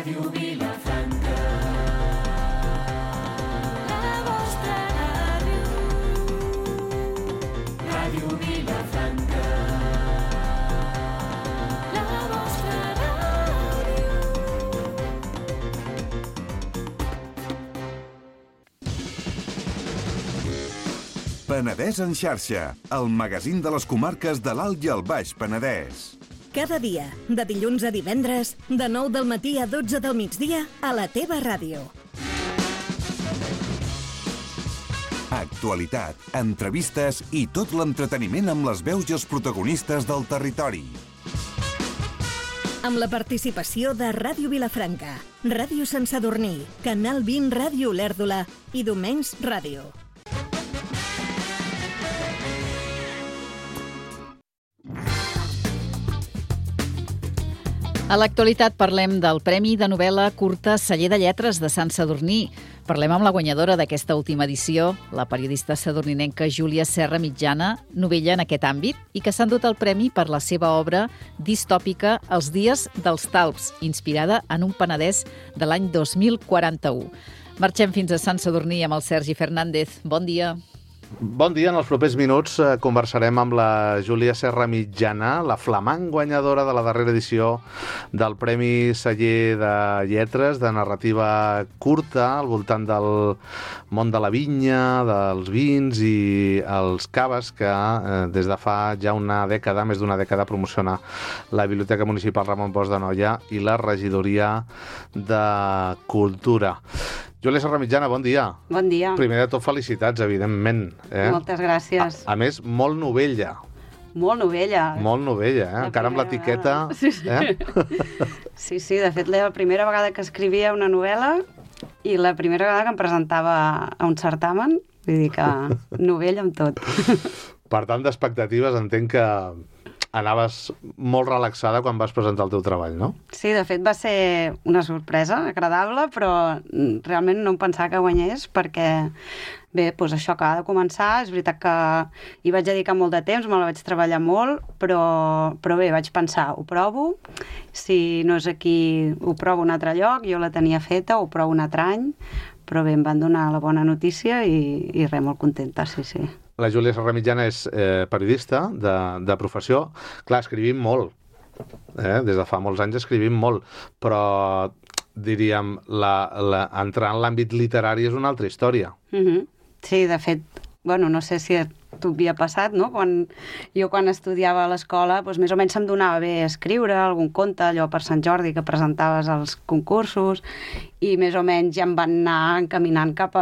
Ràdio Vilafranca, la vostra ràdio. Ràdio Vilafranca, la vostra ràdio. Penedès en xarxa, el magazín de les comarques de l'Alt i el Baix Penedès. Cada dia, de dilluns a divendres, de 9 del matí a 12 del migdia, a la teva ràdio. Actualitat, entrevistes i tot l'entreteniment amb les veus i els protagonistes del territori. Amb la participació de Ràdio Vilafranca, Ràdio Sant Sadurní, Canal 20 Ràdio Olèrdola i Domenys Ràdio. A l'actualitat parlem del Premi de novel·la curta Celler de Lletres de Sant Sadurní. Parlem amb la guanyadora d'aquesta última edició, la periodista sadurninenca Júlia Serra Mitjana, novella en aquest àmbit, i que s'ha endut el premi per la seva obra distòpica Els dies dels talps, inspirada en un Penedès de l'any 2041. Marxem fins a Sant Sadurní amb el Sergi Fernández. Bon dia. Bon dia. En els propers minuts conversarem amb la Júlia Serra Mitjana, la flamant guanyadora de la darrera edició del Premi Celler de Lletres de narrativa curta al voltant del món de la vinya, dels vins i els caves que des de fa ja una dècada, més d'una dècada, promociona la Biblioteca Municipal Ramon Bosch d'Anoia i la Regidoria de Cultura. Júlia Serra Mitjana, bon dia. Bon dia. Primer de tot, felicitats, evidentment. Moltes gràcies. A més, molt novella. Molt novella. Molt novella, encara amb l'etiqueta. Sí. Sí, de fet, la primera vegada que escrivia una novel·la i la primera vegada que em presentava a un certamen, vull dir que novella amb tot. Per tant, d'expectatives, entenc que anaves molt relaxada quan vas presentar el teu treball, no? Sí, de fet va ser una sorpresa agradable, però realment no em pensava que guanyés perquè, bé, doncs això acaba de començar. És veritat que hi vaig dedicar molt de temps, me la vaig treballar molt, però bé, vaig pensar, ho provo, si no és aquí ho provo un altre lloc, jo la tenia feta, ho provo un altre any, però bé, em van donar la bona notícia i res, molt contenta, sí. La Júlia Serra Mitjana és periodista de professió. Clar, escrivim molt. Des de fa molts anys escrivim molt. Però, diríem, entrar en l'àmbit literari és una altra història. Sí, de fet, bueno, no sé si a tu havia passat, no? Quan estudiava a l'escola, doncs més o menys se'm donava bé escriure algun conte, allò per Sant Jordi que presentaves als concursos, i més o menys ja em van anar encaminant cap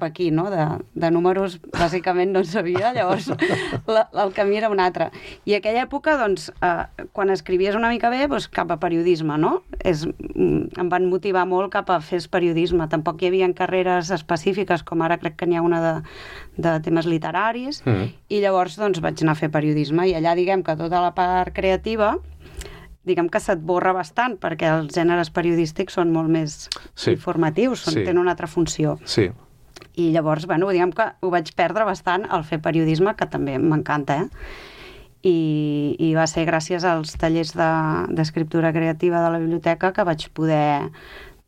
aquí, no? De números, bàsicament, no en sabia, llavors el camí era un altre. I a aquella època, doncs, quan escrivies una mica bé, doncs cap a periodisme, no? Em van motivar molt cap a fer periodisme. Tampoc hi havia carreres específiques, com ara crec que n'hi ha una de temes literaris, i llavors doncs vaig anar a fer periodisme, i allà diguem que tota la part creativa diguem que se't borra bastant, perquè els gèneres periodístics són molt més informatius, tenen una altra funció. Sí. I llavors, bueno, diguem que ho vaig perdre bastant al fer periodisme, que també m'encanta, I va ser gràcies als tallers d'escriptura creativa de la biblioteca que vaig poder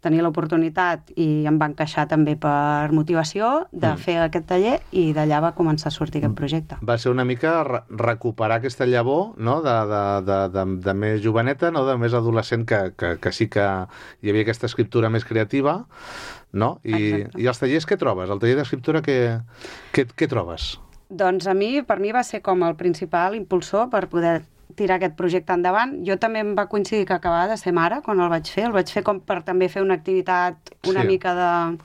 tenir l'oportunitat, i em va encaixar també per motivació de fer aquest taller, i d'allà va començar a sortir aquest projecte. Va ser una mica recuperar aquesta llavor, no? de més joveneta, no? De més adolescent, que sí que hi havia aquesta escriptura més creativa, no? I els tallers què trobes? El taller d'escriptura què trobes? Doncs per mi va ser com el principal impulsor per poder tirar aquest projecte endavant. Jo també em va coincidir que acabava de ser mare quan el vaig fer. El vaig fer com per també fer una activitat una mica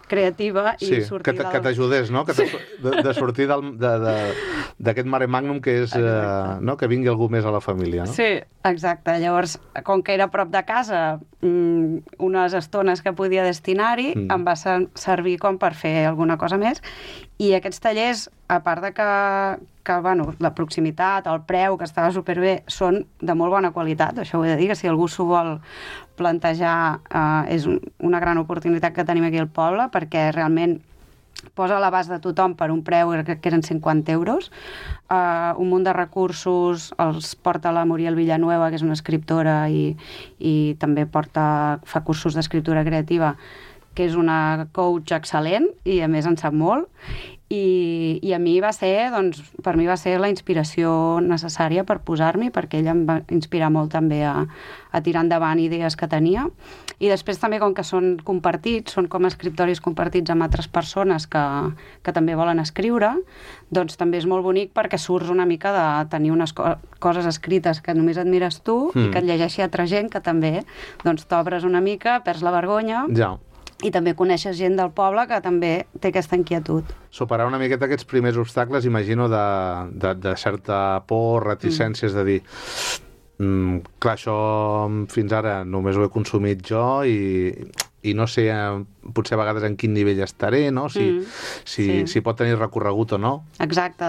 creativa i sortir que t'ajudés, no? De sortir d'aquest mare magnum que és que vingui algú més a la família, no? Sí, exacte. Llavors, com que era a prop de casa, unes estones que podia destinar-hi, em va servir com per fer alguna cosa més. I aquests tallers, a part de que la proximitat, el preu, que estava superbé, són de molt bona qualitat. Això ho he de dir, que si algú s'ho vol plantejar, és una gran oportunitat que tenim aquí al poble, perquè realment posa a l'abast de tothom per un preu que eren 50 euros. Un munt de recursos els porta la Muriel Villanueva, que és una escriptora i també fa cursos d'escriptura creativa, que és una coach excel·lent i a més en sap molt. I a mi va ser, doncs, per mi va ser la inspiració necessària per posar-m'hi, perquè ella em va inspirar molt també a tirar endavant idees que tenia. I després també, com que són compartits, són com escriptoris compartits amb altres persones que també volen escriure, doncs també és molt bonic perquè surts una mica de tenir unes coses escrites que només admires tu i que et llegeixi altra gent que també doncs t'obres una mica, perds la vergonya. Ja. I també coneixes gent del poble que també té aquesta inquietud. Superar una miqueta aquests primers obstacles, imagino, de certa por, reticències, de dir clar, això fins ara només ho he consumit jo i no sé potser a vegades en quin nivell estaré, no? Si pot tenir recorregut o no. Exacte,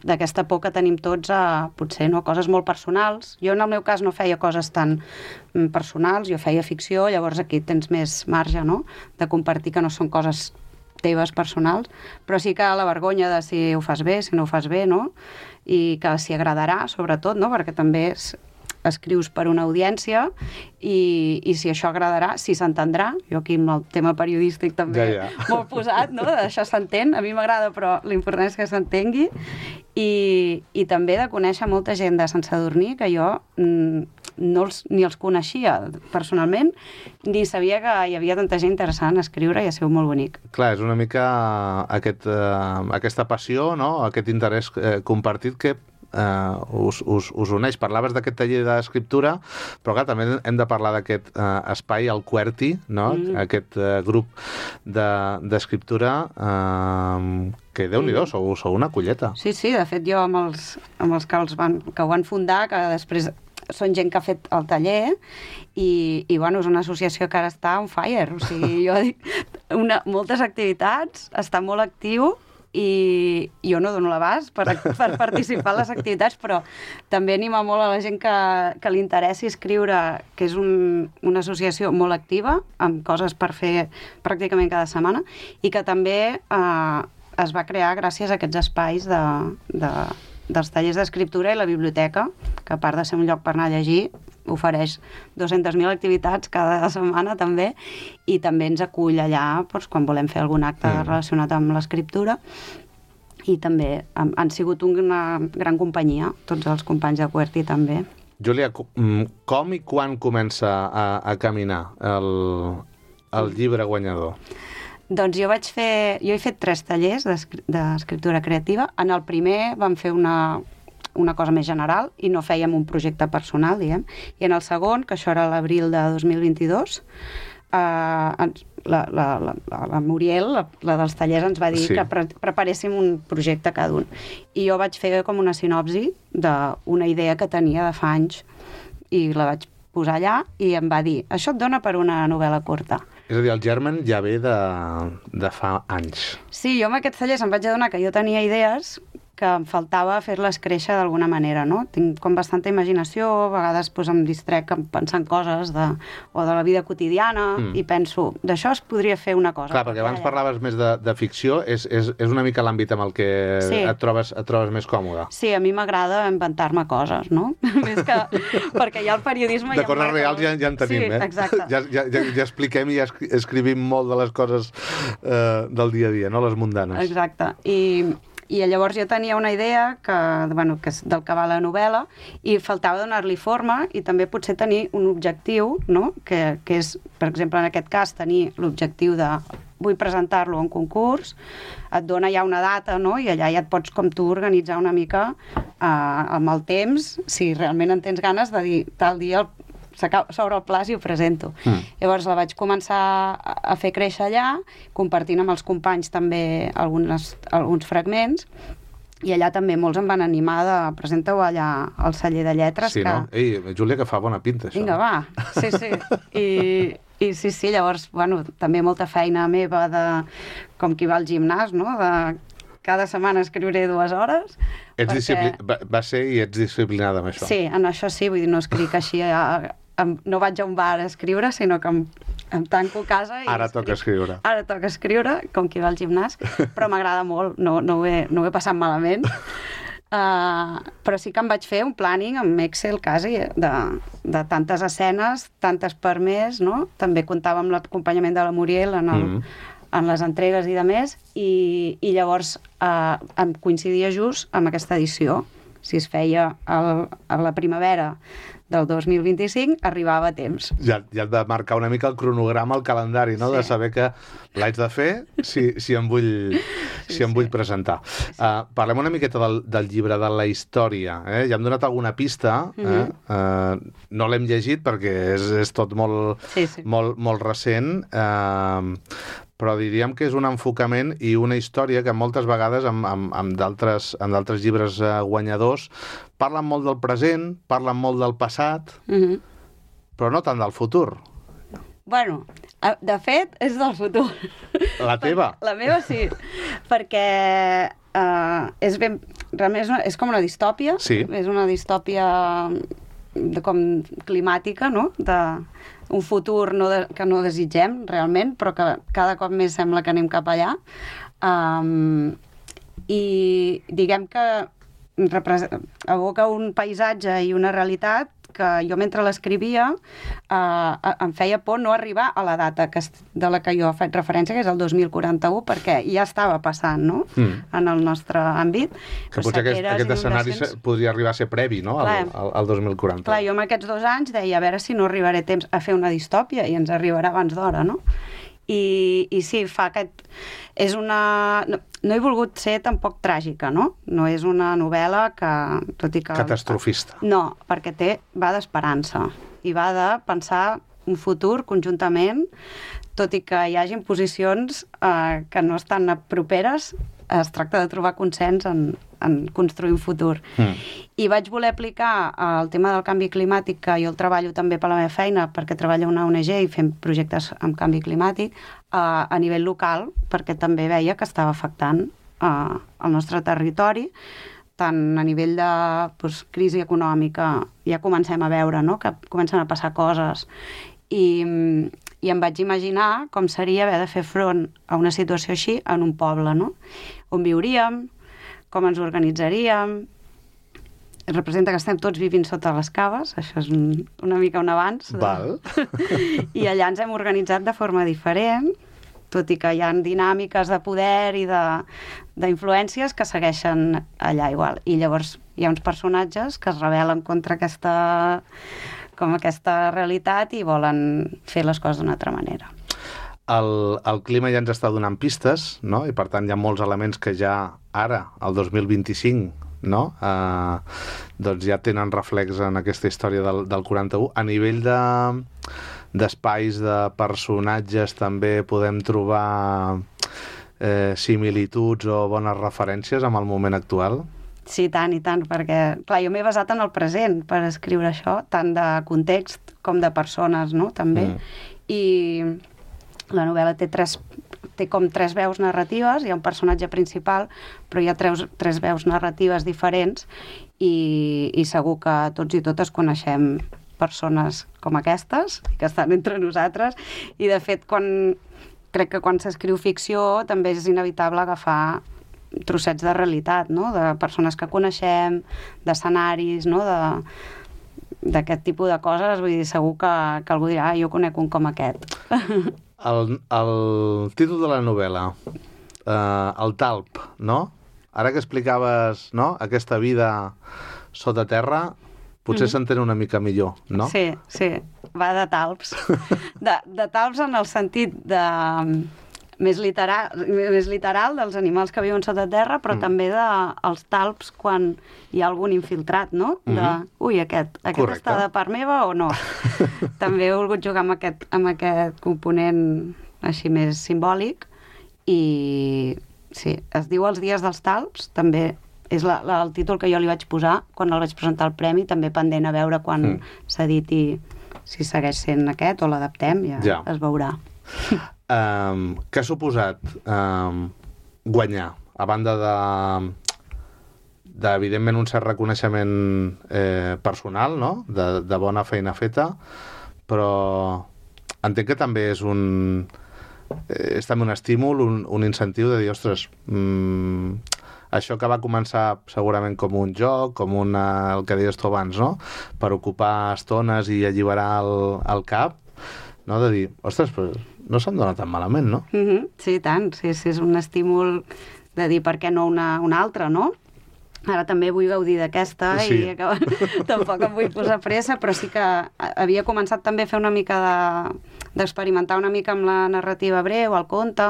d'aquesta por que tenim tots a potser coses molt personals. Jo en el meu cas no feia coses tan personals, jo feia ficció, llavors aquí tens més marge, no?, de compartir que no són coses teves personals, però sí que la vergonya de si ho fas bé, si no ho fas bé, no?, i que si agradarà, sobretot, no?, perquè també escrius per una audiència i si això agradarà, si s'entendrà. Jo aquí amb el tema periodístic també molt posat, no?, això s'entén, a mi m'agrada, però l'important és que s'entengui. I també de conèixer molta gent de Sant Sadurní que jo ni els coneixia personalment, ni sabia que hi havia tanta gent interessant a escriure i ha sigut molt bonic. Clar, és una mica aquesta passió, no?, aquest interès compartit que us uneix. Parlaves d'aquest taller d'escriptura, però clar, també hem de parlar d'aquest espai, el QWERTY, no?, aquest grup d'escriptura que Déu-n'hi-do, sou una colleta. Sí, de fet jo amb els que ho van fundar, que després són gent que ha fet el taller i bueno, és una associació que ara està on fire, o sigui, jo dic moltes activitats, està molt actiu i jo no dono l'abast per participar en les activitats, però també anima molt a la gent que li interessi escriure, que és una associació molt activa, amb coses per fer pràcticament cada setmana, i que també es va crear gràcies a aquests espais dels tallers d'escriptura i la biblioteca, que a part de ser un lloc per anar a llegir, ofereix 200.000 activitats cada setmana també, i també ens acull allà doncs, quan volem fer algun acte relacionat amb l'escriptura, i també han sigut una gran companyia, tots els companys de QWERTY també. Júlia, com i quan comença a caminar el llibre guanyador? Doncs jo he fet 3 tallers d'escriptura creativa. En el primer vam fer una cosa més general i no fèiem un projecte personal, diguem. I en el segon, que això era l'abril de 2022, la Muriel, la dels tallers, ens va dir que preparéssim un projecte cada un. I jo vaig fer com una sinopsi d'una idea que tenia de fa anys i la vaig posar allà i em va dir, això et dona per una novel·la curta. És a dir, el germen ja ve de fa anys. Sí, jo amb aquests tallers em vaig adonar que jo tenia idees que em faltava fer-les créixer d'alguna manera, no? Tinc com bastanta imaginació, a vegades em distrec pensant coses o de la vida quotidiana i penso, d'això es podria fer una cosa. Clar, perquè abans parlaves més de ficció, és una mica l'àmbit amb el que et trobes més còmode. Sí, a mi m'agrada inventar-me coses, no? Més que... perquè ja el periodisme... De coses reals ja en tenim, sí, exacte. Ja expliquem i ja escrivim molt de les coses del dia a dia, no? Les mundanes. Exacte. I llavors jo tenia una idea que és del que va la novel·la i faltava donar-li forma i també potser tenir un objectiu, no? Que és, per exemple, en aquest cas, tenir l'objectiu de vull presentar-lo a un concurs, et dona ja una data, no? I allà ja et pots com tu organitzar una mica amb el temps, si realment en tens ganes de dir tal dia s'obre el plaç i ho presento. Llavors la vaig començar a fer créixer allà, compartint amb els companys també alguns fragments, i allà també molts em van animar de presenta-ho allà al celler de lletres. Sí, no? Ei, Júlia, que fa bona pinta, això. Vinga, va. Sí. I sí, llavors, bueno, també molta feina meva com qui va al gimnàs, no? Cada setmana escriuré 2 hores. Va ser i ets disciplinada amb això. Sí, en això sí, vull dir, no escric així, no vaig a un bar a escriure, sinó que em tanco a casa i... Ara toca escriure. Ara toca escriure, com qui va al gimnàs, però m'agrada molt, no ho he passat malament. Però sí que em vaig fer un planning amb Excel quasi de tantes escenes, tantes per mes, no? També comptava amb l'acompanyament de la Muriel en les entregues i de més, i llavors em coincidia just amb aquesta edició. Si es feia a la primavera del 2025, arribava a temps. Ja et va marcar una mica el cronograma, el calendari, no? Sí. De saber que l'haig de fer si em vull presentar. Parlem una miqueta del llibre, de la història. Ja hem donat alguna pista. No l'hem llegit perquè és tot molt, molt recent, però diríem que és un enfocament i una història que moltes vegades amb d'altres llibres guanyadors parlen molt del present, parlen molt del passat, però no tant del futur. Bueno, de fet, és del futur. La teva? La meva sí, perquè realment és com una distòpia. Sí. És una distòpia com climàtica, no? Un futur que no desitgem realment, però que cada cop més sembla que anem cap allà. I diguem que evoca un paisatge i una realitat que jo mentre l'escrivia em feia por no arribar a la data de la que jo he fet referència, que és el 2041, perquè ja estava passant, no? En el nostre àmbit. Que potser aquest escenari podria arribar a ser previ, no? Al 2040. Clar, jo amb aquests 2 anys deia a veure si no arribaré a temps a fer una distòpia i ens arribarà abans d'hora, no? I sí, fa aquest... És una... No he volgut ser tampoc tràgica, no? No és una novel·la que... Tot i que... Catastrofista. No, perquè va d'esperança i va de pensar un futur conjuntament, tot i que hi hagin posicions que no estan properes, es tracta de trobar consens en construir un futur. I vaig voler aplicar el tema del canvi climàtic, que jo el treballo també per la meva feina, perquè treballo a una ONG i fem projectes amb canvi climàtic, a nivell local, perquè també veia que estava afectant el nostre territori, tant a nivell de crisi econòmica, ja comencem a veure, no?, que comencen a passar coses, i em vaig imaginar com seria haver de fer front a una situació així en un poble, no?, on viuríem, com ens organitzaríem. Representa que estem tots vivint sota les caves, això és una mica un avanç. Val. I allà ens hem organitzat de forma diferent, tot i que hi ha dinàmiques de poder i d'influències que segueixen allà igual. I llavors hi ha uns personatges que es rebel·len contra aquesta realitat i volen fer les coses d'una altra manera. El clima ja ens està donant pistes, no? I per tant hi ha molts elements que ja ara, el 2025, no? Doncs ja tenen reflex en aquesta història del 41. A nivell d'espais, de personatges, també podem trobar similituds o bones referències amb el moment actual? Sí, i tant, perquè, clar, jo m'he basat en el present per escriure això, tant de context com de persones, no?, també. I la novel·la té com 3 veus narratives, hi ha un personatge principal, però hi ha 3 veus narratives diferents i segur que tots i totes coneixem persones com aquestes, que estan entre nosaltres, i de fet crec que quan s'escriu ficció també és inevitable agafar trossets de realitat, no?, de persones que coneixem, d'escenaris, no?, d'aquest tipus de coses. Vull dir, segur que algú dirà, jo conec un com aquest. El títol de la novel·la, el talp, no? Ara que explicaves, no?, aquesta vida sota terra, potser s'entén una mica millor, no? Sí, va de talps. De talps en el sentit més literal dels animals que viuen sota terra, però també dels talps quan hi ha algun infiltrat, no? Aquest està de part meva o no? També he volgut jugar amb aquest component així més simbòlic i sí, es diu Els dies dels talps, també és el títol que jo li vaig posar quan el vaig presentar al premi, també pendent a veure quan s'editi si segueix sent aquest o l'adaptem, ja es veurà. Què ha suposat guanyar, a banda evidentment un cert reconeixement personal, no?, de bona feina feta, però entenc que també és també un estímul, un incentiu de dir, ostres, això que va començar segurament com un joc, com el que deies tu abans, no? Per ocupar estones i alliberar el cap, no? De dir, ostres, però no se'm dona tan malament, no? Sí, tant, sí, és un estímul de dir per què no una altra, no? Ara també vull gaudir d'aquesta i tampoc em vull posar pressa, però sí que havia començat també a fer una mica d'experimentar una mica amb la narrativa breu, el conte.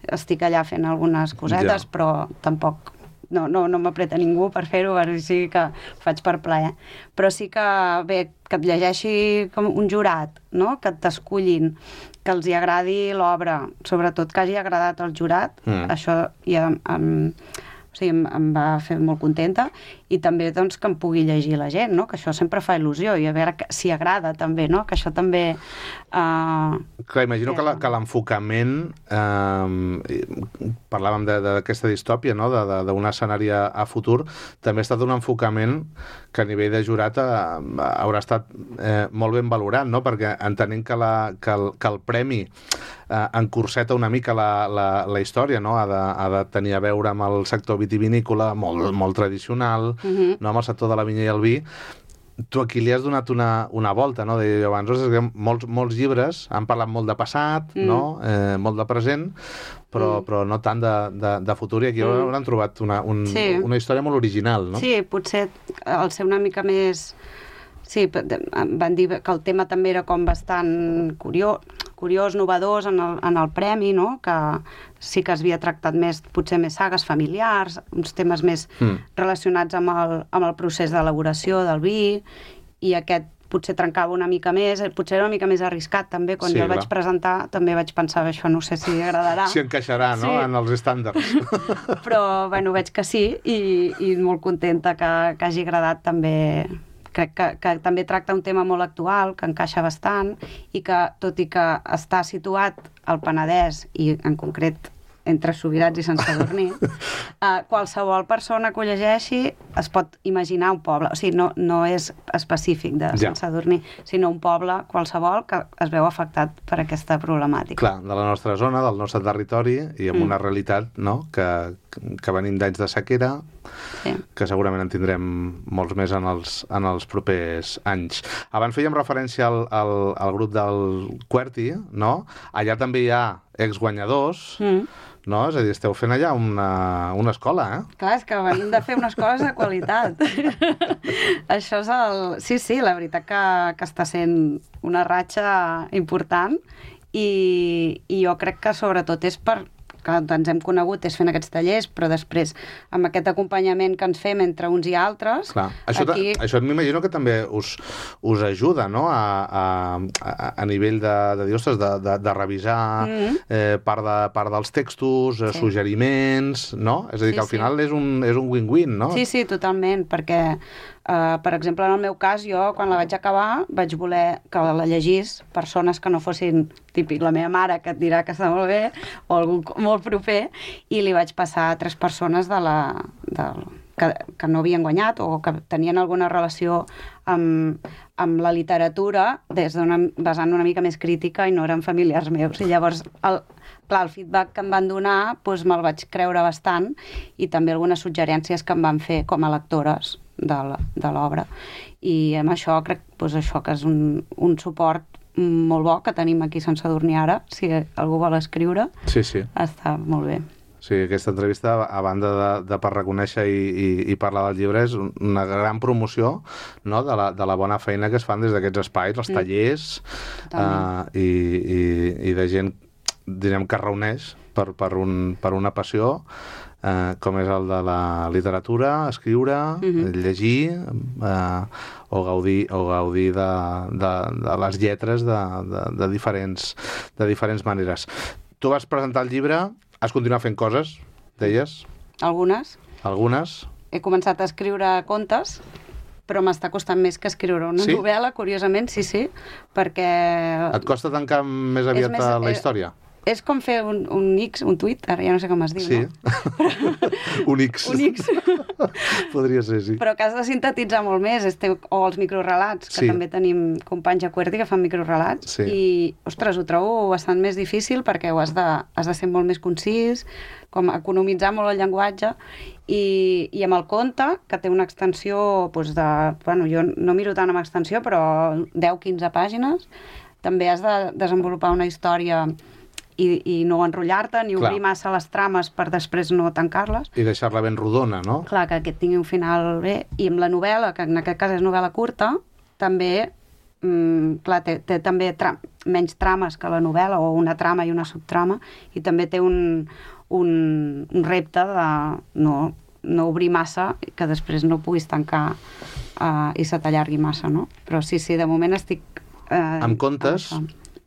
Estic allà fent algunes cosetes, però tampoc no m'apreta ningú per fer-ho, sí que ho faig per plaer. Però sí que, bé, que et llegeixi com un jurat, no? Que t'escullin, que els hi agradi l'obra, sobretot que hagi agradat al jurat, això ja em va fer molt contenta, i també doncs, que em pugui llegir la gent, no? Que això sempre fa il·lusió, i a veure si agrada també, no? Que això també... Clar, imagino que l'enfocament, parlàvem d'aquesta distòpia, no? D'un escenari a futur, també ha estat un enfocament que a nivell de jurat haurà estat molt ben valorat, no? Perquè entenent que el premi encurseta una mica la història, no? Ha de tenir a veure amb el sector vitivinícola, molt tradicional, no? Amb el sector de la vinya i el vi. Tu aquí li has donat una volta, no? Deia jo abans, que molts llibres han parlat molt de passat, no? Molt de present, però no tant de futur, i aquí hauran trobat una història molt original, no? Sí, potser al ser una mica més... Sí, van dir que el tema també era com bastant curiós, novedós en el premi, no? Que sí que es havia tractat potser més sagues familiars, uns temes més relacionats amb el procés d'elaboració del vi, i aquest potser trencava una mica més, potser era una mica més arriscat també, quan jo el vaig presentar també vaig pensar, això no sé si agradarà. Si encaixarà, no?, en els estàndards. Però, bueno, veig que sí, i molt contenta que hagi agradat també. Crec que també tracta un tema molt actual, que encaixa bastant, i que, tot i que està situat al Penedès, i en concret entre Subirats i Sant Sadurní, qualsevol persona que ho llegeixi es pot imaginar un poble. O sigui, no és específic de Sant Sadurní, sinó un poble qualsevol que es veu afectat per aquesta problemàtica. Clar, de la nostra zona, del nostre territori, i amb una realitat, no?, que venim d'anys de sequera, que segurament en tindrem molts més en els propers anys. Abans fèiem referència al grup del QWERTY, no? Allà també hi ha exguanyadors, no? És a dir, esteu fent allà una escola, Clar, és que venim de fer unes coses de qualitat. Això és Sí, la veritat que està sent una ratxa important, i jo crec que sobretot és que ens hem conegut és fent aquests tallers, però després amb aquest acompanyament que ens fem entre uns i altres... Clar. Això m'imagino que també us ajuda, no?, a nivell de dir, ostres, de revisar part dels textos, suggeriments, no? És a dir, que al final és un win-win, no? Sí, totalment, perquè per exemple, en el meu cas, jo, quan la vaig acabar, vaig voler que la llegís persones que no fossin típic la meva mare, que et dirà que està molt bé, o algú molt proper, i li vaig passar a 3 persones que no havien guanyat o que tenien alguna relació amb la literatura vessant una mica més crítica i no eren familiars meus. I llavors, el feedback que em van donar me'l vaig creure bastant, i també algunes suggerències que em van fer com a lectores de l'obra. I amb això crec que és un suport molt bo que tenim aquí a Sant Sadurní ara, si algú vol escriure. Sí. Està molt bé. Sí, aquesta entrevista, a banda de per reconèixer i parlar del llibre, és una gran promoció, no?, de la bona feina que es fan des d'aquests espais, els tallers, i de gent, direm, que reuneix per una passió, com és el de la literatura, escriure, llegir, o gaudir de les lletres de diferents maneres. Tu vas presentar el llibre, has continuat fent coses, deies? Algunes. He començat a escriure contes, però m'està costant més que escriure una novel·la, curiosament, sí, perquè... Et costa tancar més aviat la història? És com fer un X, un tuit, ara ja no sé com es diu, Sí. no? Un X. Un X. Podria ser, sí. Però que has de sintetitzar molt més, o els microrelats, que Sí. també tenim companys a QWERTY que fan microrelats, Sí. i, ostres, ho trobo bastant més difícil perquè has de ser molt més concís, com economitzar molt el llenguatge, i amb el conte, que té una extensió doncs bueno, jo no miro tant amb extensió, però 10-15 pàgines, també has de desenvolupar una història i no enrotllar-te, ni obrir massa les trames per després no tancar-les. I deixar-la ben rodona, no? Clar, que aquest tingui un final bé. I amb la novel·la, que en aquest cas és novel·la curta, també clar, té també menys trames que la novel·la, o una trama i una subtrama, i també té un repte de no obrir massa, que després no puguis tancar i se t'allargui massa, no? Però sí, de moment estic... Amb contes,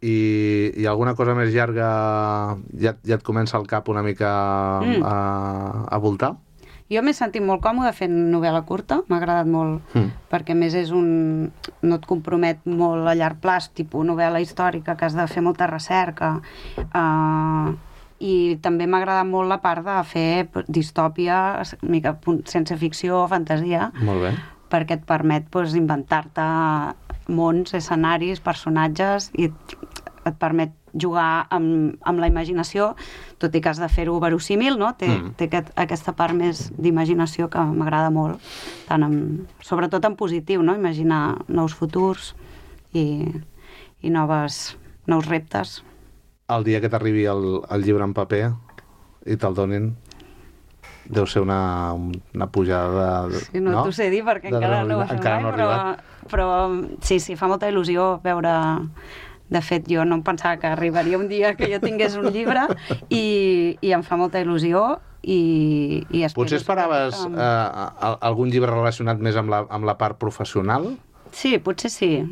i alguna cosa més llarga ja et comença al cap una mica a voltar? Jo m'he sentit molt còmode fent novel·la curta, m'ha agradat molt, perquè a més no et compromet molt a llarg plaç, tipus novel·la històrica, que has de fer molta recerca, i també m'ha agradat molt la part de fer distòpia, sense ficció, fantasia, Molt bé. perquè et permet inventar-te mons, escenaris, personatges, i et permet jugar amb la imaginació, tot i que has de fer-ho verosímil, no? Té aquesta part més d'imaginació que m'agrada molt, sobretot en positiu, no? Imaginar nous futurs i nous reptes. El dia que t'arribi el llibre en paper i te'l donin, deu ser una pujada de... Sí, no t'ho sé dir perquè encara no ho he fet mai, però sí, fa molta il·lusió veure... De fet, jo no em pensava que arribaria un dia que jo tingués un llibre i em fa molta il·lusió i Potser esperaves algun llibre relacionat més amb la part professional? Sí, potser sí.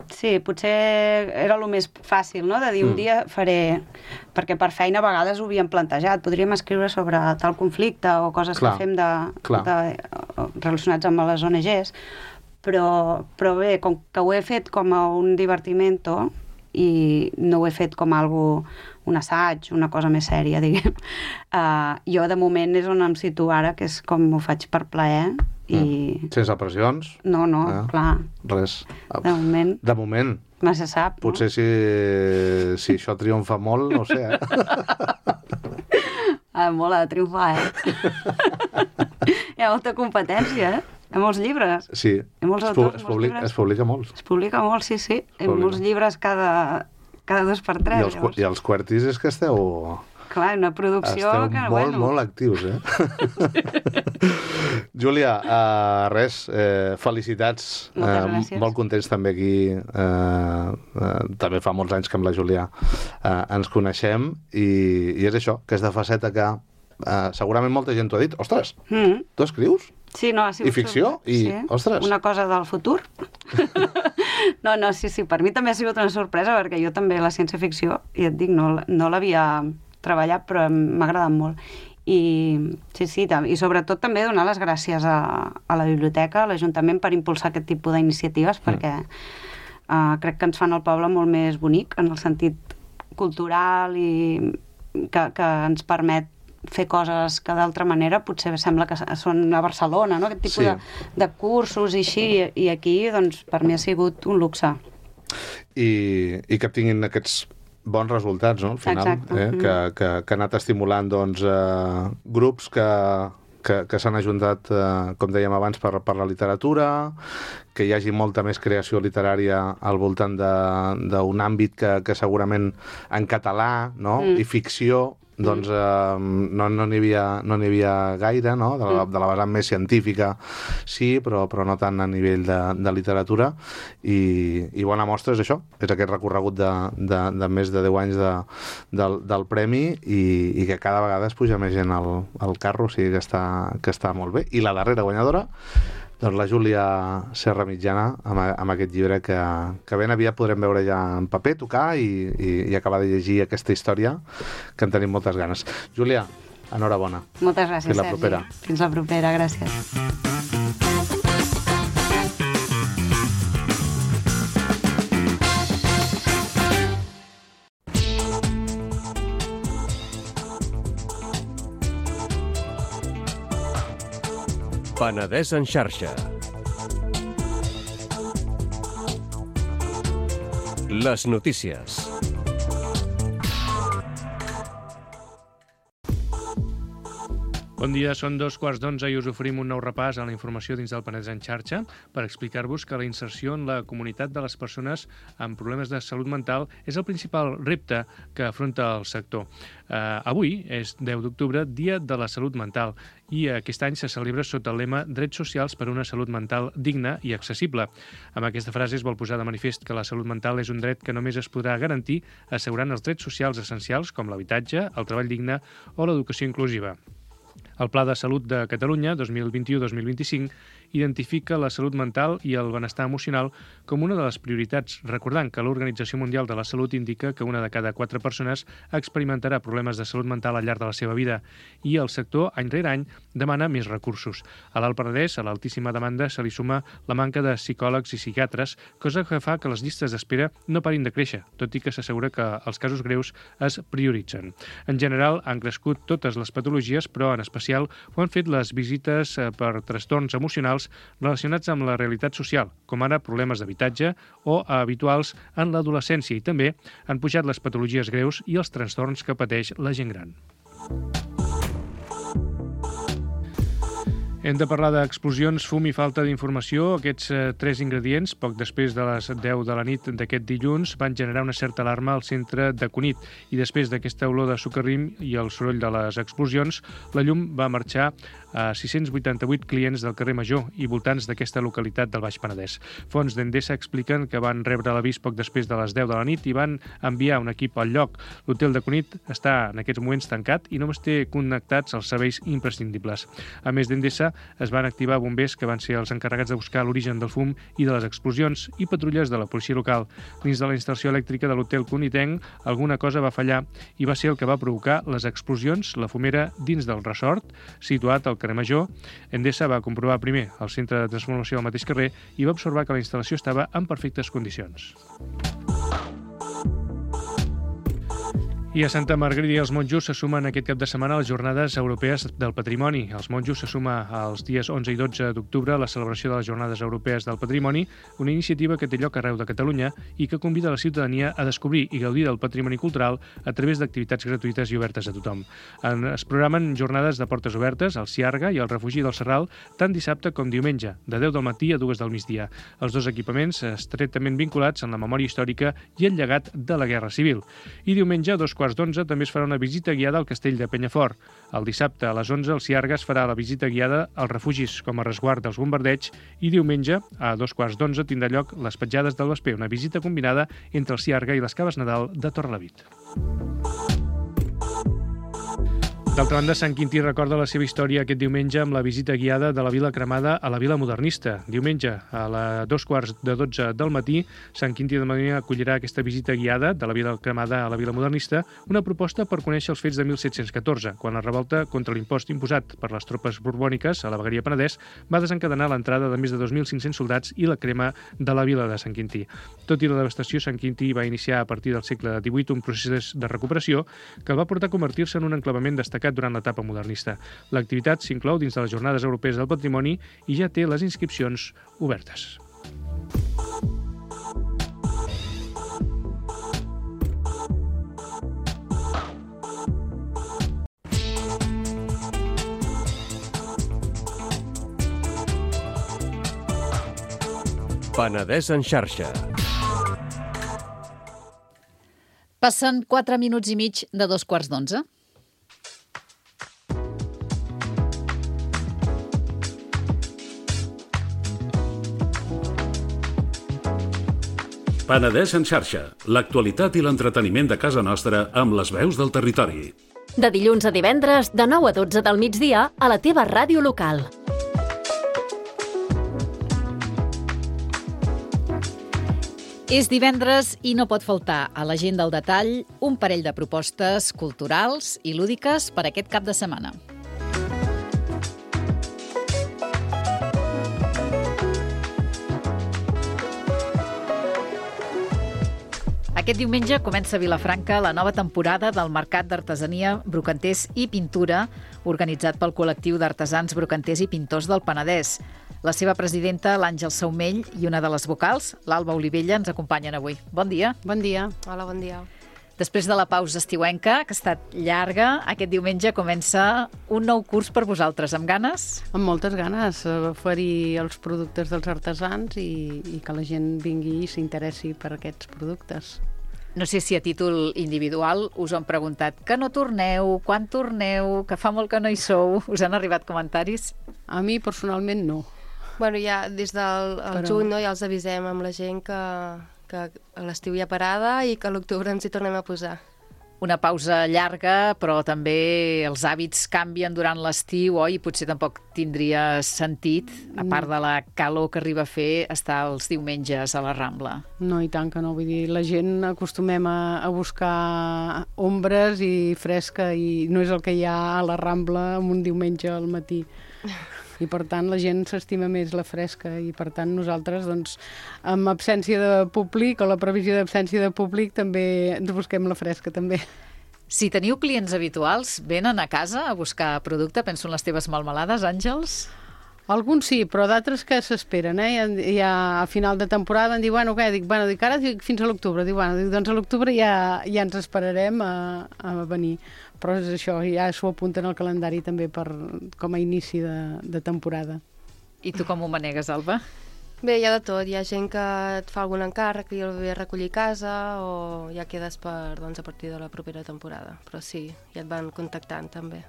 Sí, potser era el més fàcil, no?, de dir un dia faré... Perquè per feina a vegades ho havíem plantejat. Podríem escriure sobre tal conflicte o coses que fem relacionats amb les ONGs, però bé, com que ho he fet com a un divertimento i no ho he fet com un assaig, una cosa més sèria, diguem. Jo, de moment, és on em situo ara, que és com ho faig per plaer. Sense pressions? No, clar. Res. De moment. De moment. No se sap, no? Potser si això triomfa molt, no ho sé, Molt ha de triomfar, Hi ha molta competència, Hi ha molts llibres. Sí. Hi ha molts autors, molts llibres. Es publica molts. Es publica molt, sí. Hi ha molts llibres cada 2 per 3. I els QWERTYs és que esteu... Clar, una producció que... molt actius, Júlia, felicitats. Moltes gràcies. Molt contents també aquí. També fa molts anys que amb la Júlia ens coneixem i és això, que és de faceta que segurament molta gent t'ho ha dit. Ostres, tu escrius? Sí, no, ha sigut... I ficció? Ostres. Una cosa del futur. No, sí, per mi també ha sigut una sorpresa, perquè jo també la ciència-ficció, i et dic, no l'havia treballat, però m'ha agradat molt. I sobretot també donar les gràcies a la biblioteca, a l'Ajuntament, per impulsar aquest tipus d'iniciatives, perquè crec que ens fan el poble molt més bonic, en el sentit cultural, i que ens permet fer coses que d'altra manera potser sembla que són a Barcelona, no? Aquest tipus de cursos i així, i aquí, doncs, per mi ha sigut un luxe. I que tinguin aquests bons resultats, no?, al final. Que ha anat estimulant, doncs, grups que s'han ajuntat, com dèiem abans, per la literatura, que hi hagi molta més creació literària al voltant d'un àmbit que segurament en català, no?, i ficció, doncs no n'hi havia gaire, no?, de la vessant més científica, sí, però no tant a nivell de literatura, i bona mostra és això, és aquest recorregut de més de 10 anys del Premi, i que cada vegada es puja més gent al carro, o sigui que està molt bé. I la darrera guanyadora, doncs la Júlia Serra Mitjana, amb aquest llibre que ben aviat podrem veure ja en paper, tocar i acabar de llegir aquesta història, que en tenim moltes ganes. Júlia, enhorabona. Moltes gràcies, Sergi. Fins la propera. Fins la propera, gràcies. Penedès en xarxa. Les notícies. Bon dia, són 2:15 i us oferim un nou repàs a la informació dins del Penedès en xarxa per explicar-vos que la inserció en la comunitat de les persones amb problemes de salut mental és el principal repte que afronta el sector. Avui és 10 d'octubre, Dia de la Salut Mental, i aquest any se celebra sota el lema Drets socials per una salut mental digna i accessible. Amb aquesta frase es vol posar de manifest que la salut mental és un dret que només es podrà garantir assegurant els drets socials essencials com l'habitatge, el treball digne o l'educació inclusiva. El Pla de Salut de Catalunya 2021-2025 identifica la salut mental i el benestar emocional com una de les prioritats, recordant que l'Organització Mundial de la Salut indica que una de cada 4 persones experimentarà problemes de salut mental al llarg de la seva vida i el sector, any rere any, demana més recursos. A l'Alt Penedès, a l'altíssima demanda, se li suma la manca de psicòlegs i psiquiatres, cosa que fa que les llistes d'espera no parin de créixer, tot i que s'assegura que els casos greus es prioritzen. En general, han crescut totes les patologies, però en especial ho han fet les visites per trastorns emocionals relacionats amb la realitat social, com ara problemes d'habitatge o habituals en l'adolescència, i també han pujat les patologies greus i els trastorns que pateix la gent gran. Hem de parlar d'explosions, fum i falta d'informació. Aquests 3 ingredients, poc després de les 10 de la nit d'aquest dilluns, van generar una certa alarma al centre de Cunit. I després d'aquesta olor de socarrim i el soroll de les explosions, la llum va marxar a 688 clients del carrer Major i voltants d'aquesta localitat del Baix Penedès. Fonts d'Endesa expliquen que van rebre l'avís poc després de les 10 de la nit i van enviar un equip al lloc. L'hotel de Cunit està en aquests moments tancat i només té connectats els serveis imprescindibles. A més d'Endesa, es van activar bombers que van ser els encarregats de buscar l'origen del fum i de les explosions i patrulles de la policia local. Dins de la instal·lació elèctrica de l'hotel Cunitenc, alguna cosa va fallar i va ser el que va provocar les explosions, la fumera dins del resort, situat al carrer Major. Endesa va comprovar primer el centre de transformació al mateix carrer i va observar que la instal·lació estava en perfectes condicions. I a Santa Margarida i els monjos se sumen aquest cap de setmana a les Jornades Europees del Patrimoni. Els monjos se suma als dies 11 i 12 d'octubre a la celebració de les Jornades Europees del Patrimoni, una iniciativa que té lloc arreu de Catalunya i que convida la ciutadania a descobrir i gaudir del patrimoni cultural a través d'activitats gratuïtes i obertes a tothom. Es programen jornades de portes obertes al Ciarga i al Refugi del Serral tant dissabte com diumenge, de 10 del matí a 2 del migdia. Els dos equipaments estretament vinculats en la memòria històrica i el llegat de la Guerra Civil. I diumenge, a 2:15, també es farà una visita guiada al castell de Penyafort. El dissabte, a les 11, al Ciarga es farà la visita guiada als refugis com a resguard dels bombardeigs i diumenge, a 2:15, tindrà lloc les petjades del Vesper, una visita combinada entre el Ciarga i les Caves Nadal de Torrelavit. D'altra banda, Sant Quintí recorda la seva història aquest diumenge amb la visita guiada de la Vila Cremada a la Vila Modernista. Diumenge, a 2:15 del matí, Sant Quintí de Mediona acollirà aquesta visita guiada de la Vila Cremada a la Vila Modernista, una proposta per conèixer els fets de 1714, quan la revolta contra l'impost imposat per les tropes borbòniques a la vegueria Penedès va desencadenar l'entrada de més de 2.500 soldats i la crema de la vila de Sant Quintí. Tot i la devastació, Sant Quintí va iniciar a partir del segle XVIII un procés de recuperació que el va portar a convertir-se en un enclavament destacat durant l'etapa modernista. L'activitat s'inclou dins de les Jornades Europees del Patrimoni i ja té les inscripcions obertes. Penedès en xarxa. Passen 4 minuts i mig de 2:15. Penedès en xarxa, l'actualitat i l'entreteniment de casa nostra amb les veus del territori. De dilluns a divendres, de 9 a 12 del migdia, a la teva ràdio local. És divendres i no pot faltar a l'agenda al detall un parell de propostes culturals i lúdiques per aquest cap de setmana. Aquest diumenge comença a Vilafranca la nova temporada del Mercat d'Artesania, Brocanters i Pintura, organitzat pel col·lectiu d'artesans, brocanters i pintors del Penedès. La seva presidenta, l'Àngel Saumell, i una de les vocals, l'Alba Olivella, ens acompanyen avui. Bon dia. Bon dia. Hola, bon dia. Després de la pausa estiuenca, que ha estat llarga, aquest diumenge comença un nou curs per vosaltres. Amb ganes? Amb moltes ganes, oferir els productes dels artesans i que la gent vingui i s'interessi per aquests productes. No sé si a títol individual us han preguntat que no torneu, quan torneu, que fa molt que no hi sou. Us han arribat comentaris? A mi, personalment, no. Bueno, ja des del juny, no, ja els avisem amb la gent que a l'estiu hi ha parada i que a l'octubre ens hi tornem a posar. Una pausa llarga, però també els hàbits canvien durant l'estiu, oi? Potser tampoc tindria sentit, a part de la calor que arriba a fer, estar els diumenges a la Rambla. No, i tant que no. Vull dir, la gent acostumem a buscar ombres i fresca i no és el que hi ha a la Rambla en un diumenge al matí. I per tant la gent s'estima més la fresca i per tant nosaltres doncs amb absència de públic o la previsió d'absència de públic també ens busquem la fresca també. Si teniu clients habituals, venen a casa a buscar producte, penso en les teves melmelades, Àngels? Alguns sí, però d'altres que s'esperen, ja a final de temporada em diu, bueno, què? Dic, ara fins a l'octubre. Dic, doncs a l'octubre ja ens esperarem a venir. Però és això, ja s'ho apunten al calendari també com a inici de temporada. I tu com ho manegues, Alba? Bé, hi ha de tot. Hi ha gent que et fa algun encàrrec i el ve a recollir a casa o ja quedes a partir de la propera temporada. Però sí, ja et van contactant també.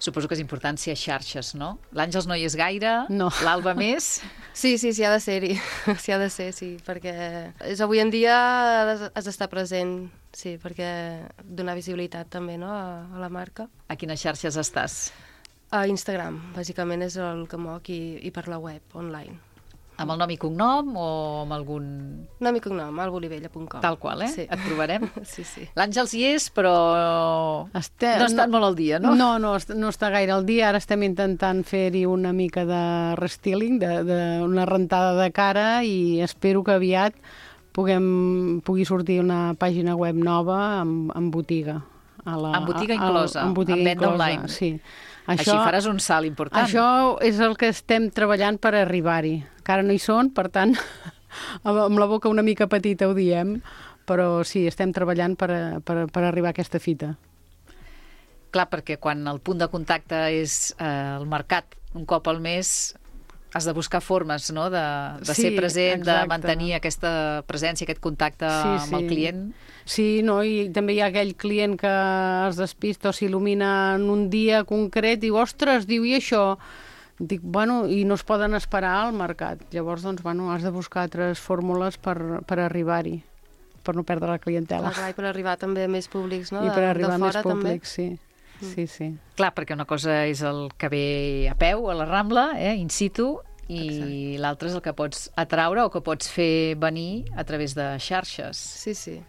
Suposo que és important ser a xarxes, no? L'Àngels no hi és gaire, no. L'Alba més? Sí, ha de ser-hi. Sí, ha de ser, sí, perquè avui en dia has d'estar present, sí, perquè donar visibilitat també, no?, a la marca. A quines xarxes estàs? A Instagram, bàsicament és el que moc i per la web, online. Amb el nom i cognom o amb algun... Nom i cognom, albolivella.com. Tal qual, Sí. Et trobarem? Sí. L'Àngels hi és, però no està molt al dia, no? No està gaire al dia. Ara estem intentant fer-hi una mica de restyling, una rentada de cara i espero que aviat pugui sortir una pàgina web nova amb botiga. Amb botiga inclosa, amb venda online. Sí. Així faràs un salt important. Això és el que estem treballant per arribar-hi. Encara no hi són, per tant, amb la boca una mica petita ho diem, però sí, estem treballant per arribar a aquesta fita. Clar, perquè quan el punt de contacte és el mercat un cop al mes, has de buscar formes, no?, de ser present, exacte, de mantenir aquesta presència, aquest contacte amb el client. Sí, no, i també hi ha aquell client que es despista o s'il·lumina en un dia concret, diu, ostres, i això? Dic, i no es poden esperar al mercat. Llavors, doncs, has de buscar altres fórmules per arribar-hi, per no perdre la clientela. Clar, i per arribar també a més públics, no?, I per arribar a més públics, sí. Sí. Clar, perquè una cosa és el que ve a peu, a la Rambla, in situ, i l'altre és el que pots atraure o que pots fer venir a través de xarxes. Sí.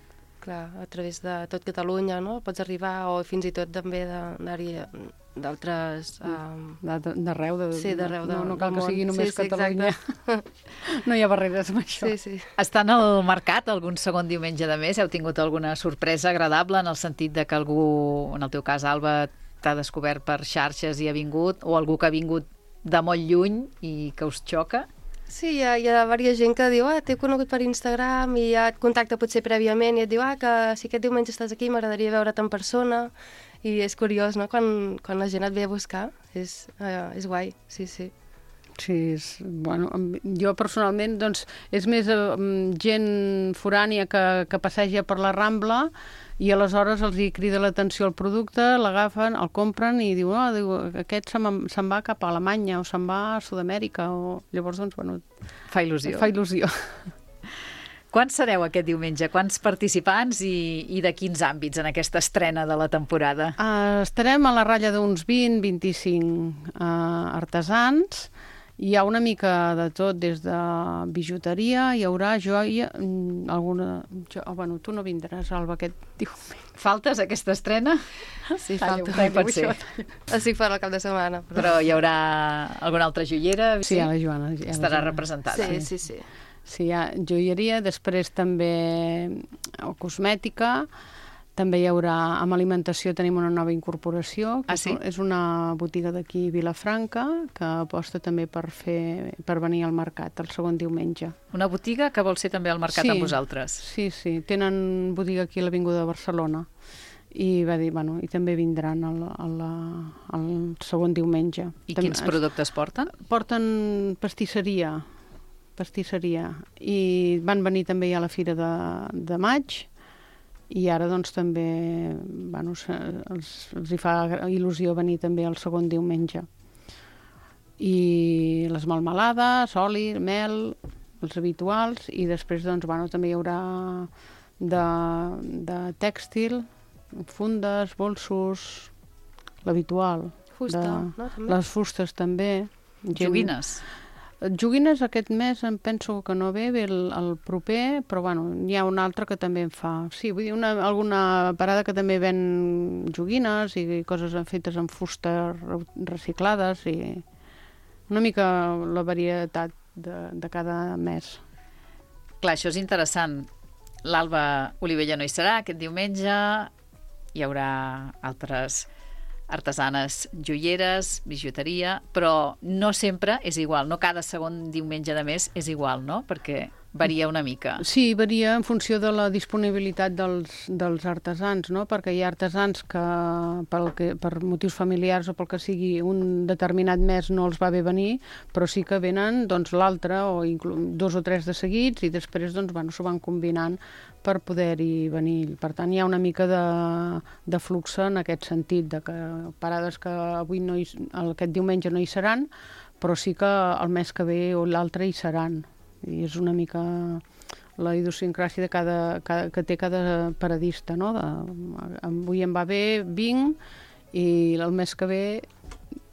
Clar, a través de tot Catalunya, no? Pots arribar, o fins i tot també d'anar-hi d'altres... D'arreu. Sí, d'arreu del món. No cal que sigui només Catalunya. No hi ha barreres amb això. Sí. Estan al mercat algun segon diumenge de mes? Heu tingut alguna sorpresa agradable en el sentit de que algú, en el teu cas, Alba, t'ha descobert per xarxes i ha vingut, o algú que ha vingut de molt lluny i que us xoca? Sí, hi ha diversa gent que diu, t'he conegut per Instagram i ja et contacta potser prèviament i et diu, que si aquest diumenge estàs aquí m'agradaria veure't en persona, i és curiós, no?, quan la gent et ve a buscar, és guai, sí. Sí, jo personalment, doncs, és més gent forània que passeja per la Rambla i aleshores els hi crida l'atenció el producte, l'agafen, el compren i diu, aquest se'n va cap a Alemanya o se'n va a Sud-amèrica, o llavors, doncs, fa il·lusió. Fa il·lusió. Quants sereu aquest diumenge? Quants participants i de quins àmbits en aquesta estrena de la temporada? Estarem a la ratlla d'uns 20-25 artesans. Hi ha una mica de tot, des de bijuteria, hi haurà joia, alguna... tu no vindràs, Alba, aquest diumenge. Faltes aquesta estrena? Sí, falta. Pot ser. Estic fora el cap de setmana. Però hi haurà alguna altra joiera? Sí, la Joana. Estarà representada. Sí. Sí, hi ha joieria, després també cosmètica, també hi haurà, amb alimentació tenim una nova incorporació, que és una botiga d'aquí, Vilafranca, que aposta també per venir al mercat el segon diumenge. Una botiga que vol ser també al mercat amb vosaltres. Sí, tenen botiga aquí a l'Avinguda de Barcelona. I va dir, i també vindran el segon diumenge. I quins productes porten? Porten pastisseria, i van venir també a la Fira de maig, i ara doncs també els hi fa il·lusió venir també el segon diumenge. I les melmelades, oli, mel, els habituals, i després doncs també hi haurà de tèxtil, fundes, bolsos, l'habitual. Fusta, no? També? Les fustes també. Joguines? Joguines aquest mes em penso que no ve el proper, però n'hi ha un altre que també en fa. Sí, vull dir, alguna parada que també ven joguines i coses fetes amb fusta reciclades, i una mica la varietat de cada mes. Clar, això és interessant. L'Alba Olivella no hi serà aquest diumenge, hi haurà altres artesanes joieres, bijuteria, però no sempre és igual, no cada segon diumenge de mes és igual, no? Perquè varia una mica. Sí, varia en funció de la disponibilitat dels artesans, no? Perquè hi ha artesans que per motius familiars o pel que sigui un determinat mes no els va bé venir, però sí que venen l'altre o 2 o 3 de seguits, i després s'ho van combinant per poder-hi venir. Per tant, hi ha una mica de flux en aquest sentit, de que parades que avui aquest diumenge no hi seran, però sí que el mes que ve o l'altre hi seran. I és una mica la idiosincràsia que té cada paradista, no? Avui em va bé, vinc, i el mes que ve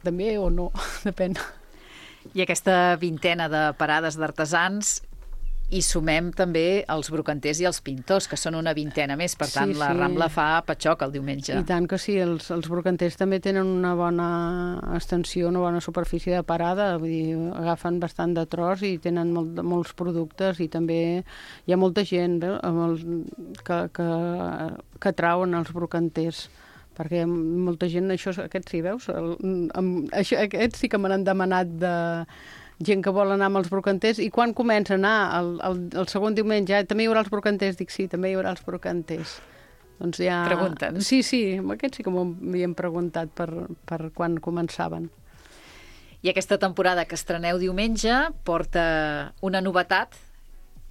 també o no, depèn. I aquesta vintena de parades d'artesans, i sumem també els brocanters i els pintors, que són una vintena més. Per tant, la Rambla fa patxoc el diumenge. I tant que sí, els brocanters també tenen una bona extensió, una bona superfície de parada, vull dir, agafen bastant de tros i tenen molts productes, i també hi ha molta gent que trauen els brocanters, perquè molta gent, aquests sí, veus? Aquests sí que me n'han demanat de gent que vol anar amb els brocanters, i quan comença a anar el segon diumenge, també hi haurà els brocanters? Dic, sí, també hi haurà els brocanters. Doncs ja... Pregunten? Sí, aquests sí que m'havien preguntat per quan començaven. I aquesta temporada que estreneu diumenge porta una novetat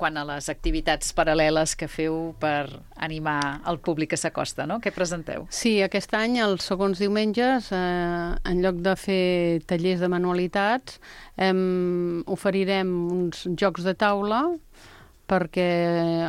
quan a les activitats paral·leles que feu per animar el públic que s'acosta, no? Què presenteu? Sí, aquest any, els segons diumenges, en lloc de fer tallers de manualitats, oferirem uns jocs de taula perquè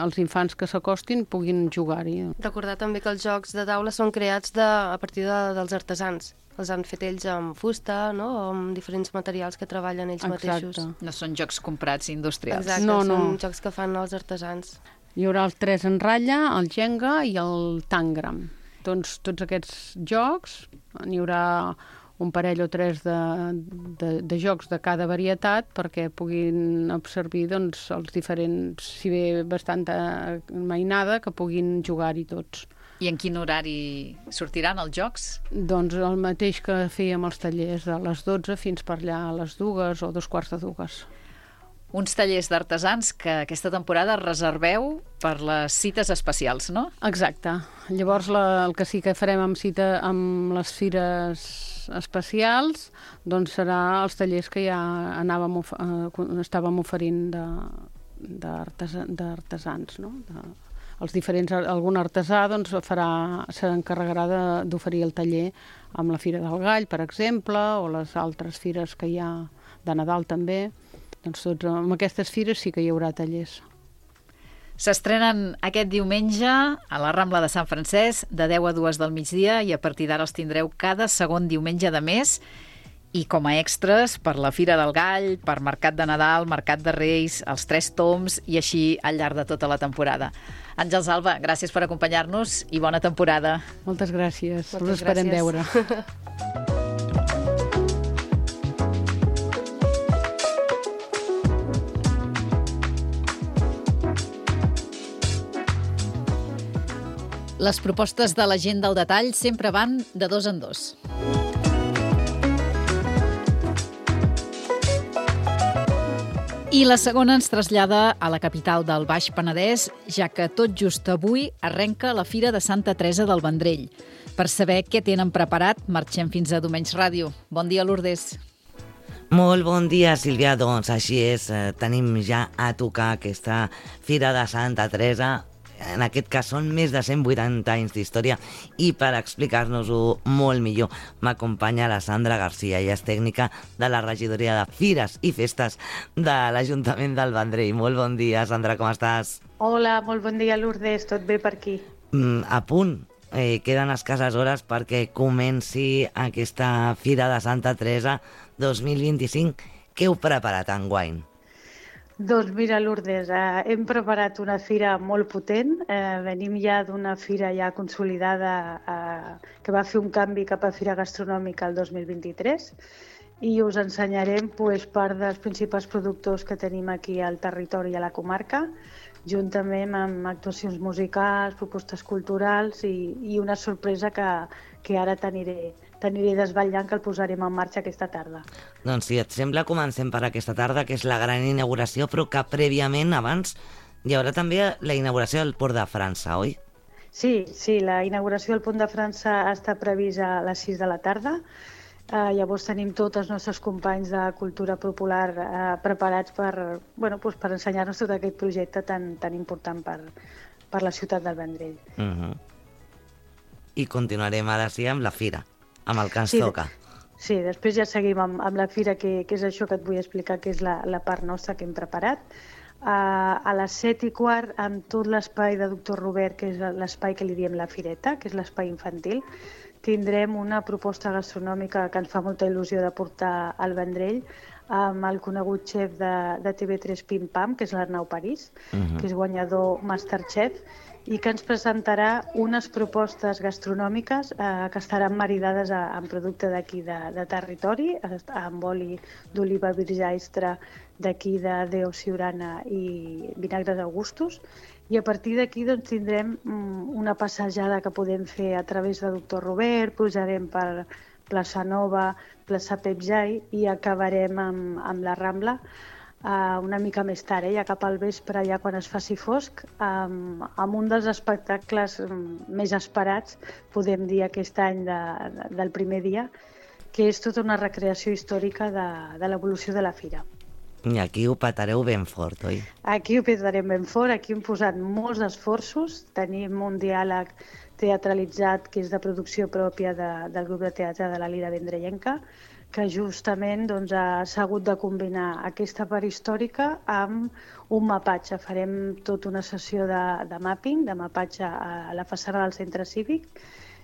els infants que s'acostin puguin jugar-hi. Recordar també que els jocs de taula són creats a partir dels artesans. Els han fet ells amb fusta, no? O amb diferents materials que treballen ells mateixos. No són jocs comprats industrials. Exacte, són jocs que fan els artesans. Hi haurà els 3 en ratlla, el Jenga i el Tangram. Doncs tots aquests jocs, n'hi haurà un parell o 3 de jocs de cada varietat perquè puguin absorbir els diferents, si bé bastanta mainada, que puguin jugar-hi tots. I en quin horari sortiran els jocs? Doncs el mateix que fèiem els tallers, a les 12 fins per allà a les 2 o 2:15. Uns tallers d'artesans que aquesta temporada reserveu per les cites especials, no? Exacte. Llavors el que sí que farem amb les fires especials doncs serà els tallers que ja estàvem oferint d'artesans, no? Algun artesà s'encarregarà d'oferir el taller amb la Fira del Gall, per exemple, o les altres fires que hi ha de Nadal també. Doncs amb aquestes fires sí que hi haurà tallers. S'estrenen aquest diumenge a la Rambla de Sant Francesc de 10 a 2 del migdia, i a partir d'ara els tindreu cada segon diumenge de mes, i com a extras per la Fira del Gall, per Mercat de Nadal, Mercat de Reis, els 3 tombs, i així al llarg de tota la temporada. Àngels Alba, gràcies per acompanyar-nos i bona temporada. Moltes gràcies. Us esperem veure. Les propostes de la gent del detall sempre van de dos en dos. I la segona ens trasllada a la capital del Baix Penedès, ja que tot just avui arrenca la Fira de Santa Teresa del Vendrell. Per saber què tenen preparat, marxem fins a Domenys Ràdio. Bon dia, Lourdes. Molt bon dia, Sílvia. Doncs així és, tenim ja a tocar aquesta Fira de Santa Teresa. En aquest cas són més de 180 anys d'història i per explicar-nos-ho molt millor m'acompanya la Sandra Garcia. Ella és tècnica de la regidoria de Fires i Festes de l'Ajuntament del Vendrell. Molt bon dia, Sandra, com estàs? Hola, molt bon dia, Lourdes. Tot bé per aquí? A punt. Queden escasses hores perquè comenci aquesta Fira de Santa Teresa 2025. Què heu preparat enguany? Doncs mira, Lourdes, hem preparat una fira molt potent. Venim ja d'una fira ja consolidada que va fer un canvi cap a fira gastronòmica el 2023 i us ensenyarem part dels principals productors que tenim aquí al territori i a la comarca, juntament amb actuacions musicals, propostes culturals i una sorpresa que ara t'aniré desvetllant, que el posarem en marxa aquesta tarda. Doncs si et sembla, comencem per aquesta tarda, que és la gran inauguració, però que prèviament, abans, hi haurà també la inauguració del Port de França, oi? Sí, la inauguració del Pont de França està prevista a les 6 de la tarda. Llavors tenim tots els nostres companys de cultura popular preparats per ensenyar-nos tot aquest projecte tan important per la ciutat del Vendrell. I continuarem ara sí amb la fira, amb el que ens toca. Sí, després ja seguim amb la fira, que és això que et vull explicar, que és la part nostra que hem preparat. A les 7:15, amb tot l'espai de Doctor Robert, que és l'espai que li diem la Fireta, que és l'espai infantil, tindrem una proposta gastronòmica que ens fa molta il·lusió de portar al Vendrell, amb el conegut xef de TV3 Pim Pam, que és l'Arnau París, que és guanyador Masterchef, i que ens presentarà unes propostes gastronòmiques que estaran maridades amb producte d'aquí de territori, amb oli d'oliva virgà extra d'aquí de Déu Siurana i vinagres Augustus, i a partir d'aquí tindrem una passejada que podem fer a través de Doctor Robert, pujarem per Plaça Nova, Plaça Pep Jai i acabarem amb la Rambla una mica més tard, ja cap al vespre, ja quan es faci fosc, amb un dels espectacles més esperats, podem dir aquest any del primer dia, que és tota una recreació històrica de l'evolució de la fira. I aquí ho petareu ben fort, oi? Aquí ho petarem ben fort, aquí hem posat molts esforços, tenim un diàleg teatralitzat que és de producció pròpia del grup de teatre de la Lira Vendrellenca, que justament s'ha hagut de combinar aquesta part històrica amb un mapatge. Farem tota una sessió de mapping, de mapatge a la façana del centre cívic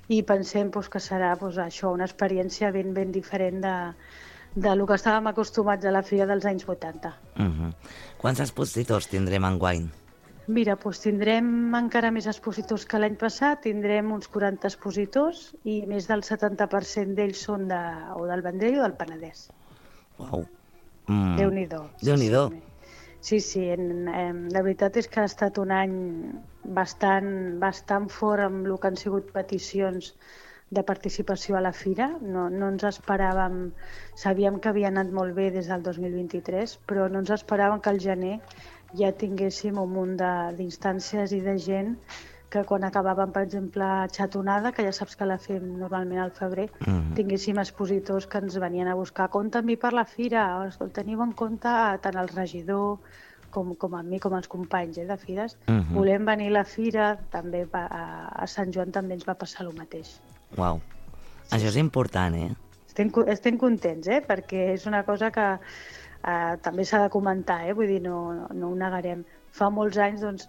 i pensem que serà això, una experiència ben diferent del que estàvem acostumats a la fira dels anys 80. Quants expositors tindrem enguany? Mira, tindrem encara més expositors que l'any passat, tindrem uns 40 expositors i més del 70% d'ells són o del Vendrell o del Penedès. Uau! Déu-n'hi-do. Déu-n'hi-do. Sí, la veritat és que ha estat un any bastant fort amb el que han sigut peticions de participació a la fira. No ens esperàvem, sabíem que havia anat molt bé des del 2023, però no ens esperàvem que al gener ja tinguéssim un munt d'instàncies i de gent que quan acabàvem, per exemple, Xatonada, que ja saps que la fem normalment al febrer, tinguéssim expositors que ens venien a buscar. Compte amb mi per la fira, teniu en compte tant el regidor com amb mi, com els companys de fires. Volem venir a la fira, també a Sant Joan també ens va passar el mateix. Uau, això és important, eh? Estem contents, perquè és una cosa que també s'ha de comentar, vull dir, no ho negarem. Fa molts anys,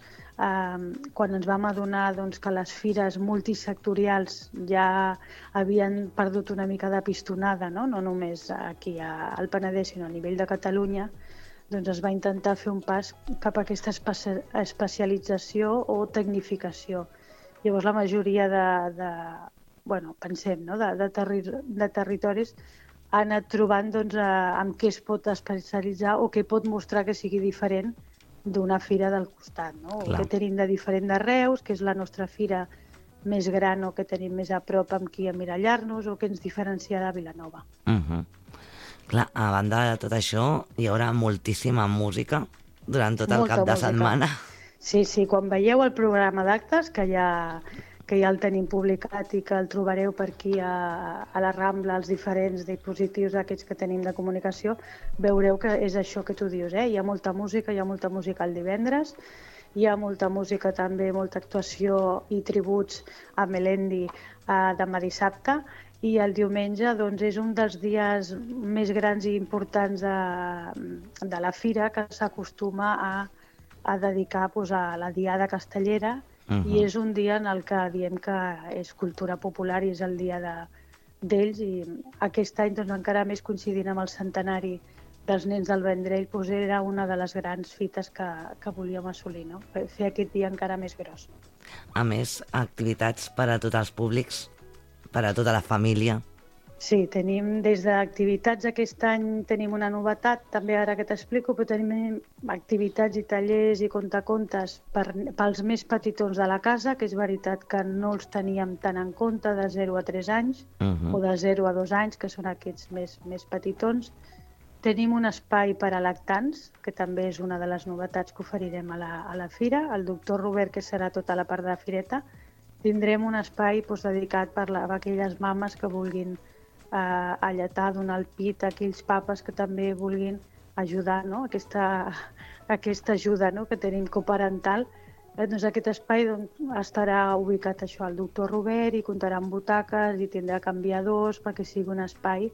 quan ens vam adonar que les fires multisectorials ja havien perdut una mica de pistonada, no només aquí al Penedès, sinó a nivell de Catalunya, es va intentar fer un pas cap a aquesta especialització o tecnificació. Llavors la majoria de territoris ha anat trobant amb què es pot especialitzar o què pot mostrar que sigui diferent d'una fira del costat, no? O què tenim de diferent de Reus, que és la nostra fira més gran o que tenim més a prop amb qui emmirallar-nos o que ens diferencia de Vilanova. Clar, a banda de tot això, hi haurà moltíssima música durant tot el cap de setmana. Sí, quan veieu el programa d'actes, que ja el tenim publicat i que el trobareu per aquí a la Rambla, als diferents dispositius aquests que tenim de comunicació, veureu que és això que tu dius, Hi ha molta música el divendres, hi ha molta música també, molta actuació i tributs a Melendi demà dissabte, i el diumenge doncs, és un dels dies més grans i importants de la fira, que s'acostuma a dedicar a la Diada Castellera, i és un dia en el que diem que és cultura popular i és el dia d'ells, i aquest any doncs, encara més coincidint amb el centenari dels nens del Vendrell, doncs era una de les grans fites que volíem assolir, no? Fer aquest dia encara més gros. A més, activitats per a tots els públics, per a tota la família. Sí, tenim des d'activitats, aquest any tenim una novetat, també ara que t'explico, però tenim activitats i tallers i contacontes pels més petitons de la casa, que és veritat que no els teníem tant en compte, de 0 a 3 anys, o de 0 a 2 anys, que són aquests més petitons. Tenim un espai per a lactants, que també és una de les novetats que oferirem a la fira. El doctor Robert, que serà tota la part de la fireta, tindrem un espai dedicat a aquelles mames que vulguin alletar, donar el pit, a aquells papes que també vulguin ajudar, no? Aquesta ajuda, no? Que tenim coparental. Doncs aquest espai estarà ubicat al doctor Robert i comptarà amb butaques i tindrà canviadors perquè sigui un espai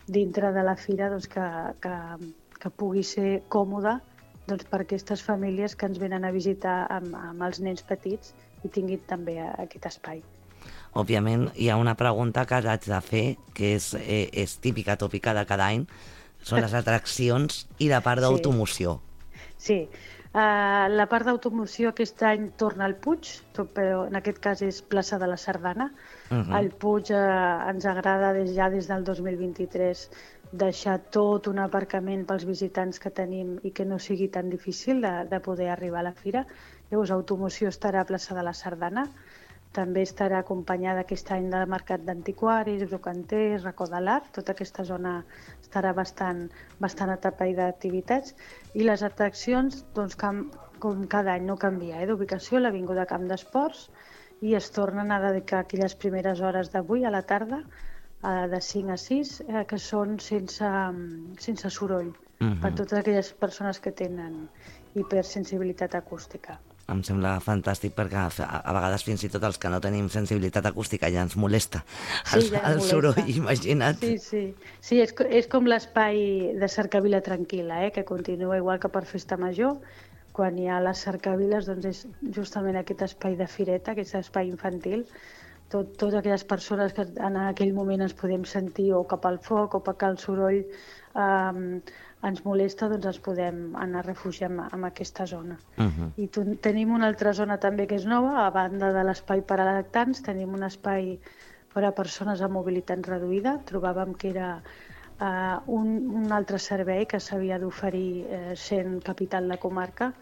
dintre de la fira que pugui ser còmode per aquestes famílies que ens venen a visitar amb els nens petits i tinguin també aquest espai. Òbviament, hi ha una pregunta que haig de fer, que és típica, tòpica de cada any, són les atraccions i la part d'automoció. Sí, la part d'automoció aquest any torna al Puig, però en aquest cas és plaça de la Sardana. Al Puig ens agrada ja des del 2023 deixar tot un aparcament pels visitants que tenim i que no sigui tan difícil de poder arribar a la fira. Llavors, automoció estarà a plaça de la Sardana. També estarà acompanyada aquest any del Mercat d'Antiquaris, Brocanters, Racó de l'Art. Tota aquesta zona estarà bastant atapeïda d'activitats. I les atraccions, com cada any, no canvia. D'ubicació, l'Avinguda Camp d'Esports, i es tornen a dedicar aquelles primeres hores d'avui a la tarda, de 5 a 6, que són sense soroll, per totes aquelles persones que tenen hipersensibilitat acústica. Em sembla fantàstic perquè a vegades fins i tot els que no tenim sensibilitat acústica ja ens molesta el soroll, imagina't. Sí, és com l'espai de cercavila tranquil·la, que continua igual que per Festa Major. Quan hi ha les cercaviles, doncs és justament aquest espai de fireta, aquest espai infantil. Totes aquelles persones que en aquell moment ens podem sentir o cap al foc o perquè el soroll ens molesta, doncs ens podem anar a refugiar en aquesta zona. I tenim una altra zona també que és nova, a banda de l'espai per a lactants, tenim un espai per a persones amb mobilitat reduïda. Trobàvem que era un altre servei que s'havia d'oferir sent capital de comarca.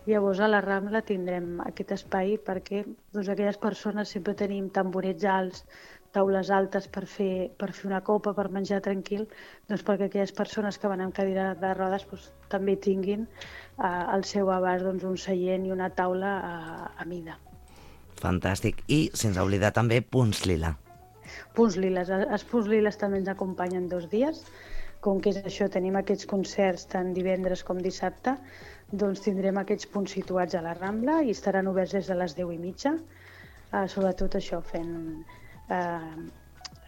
Llavors a la Rambla tindrem aquest espai perquè aquelles persones sempre tenim tamborets alts, taules altes per fer una copa, per menjar tranquil, doncs perquè aquelles persones que van amb cadira de rodes també tinguin al seu abast un seient i una taula a mida. Fantàstic. I sense oblidar també Punts Lila. Punts Liles. Els Punts Liles també ens acompanyen 2 dies. Com que és això, tenim aquests concerts tant divendres com dissabte, doncs tindrem aquests punts situats a la Rambla i estaran oberts des de les 10:30. Sobretot això,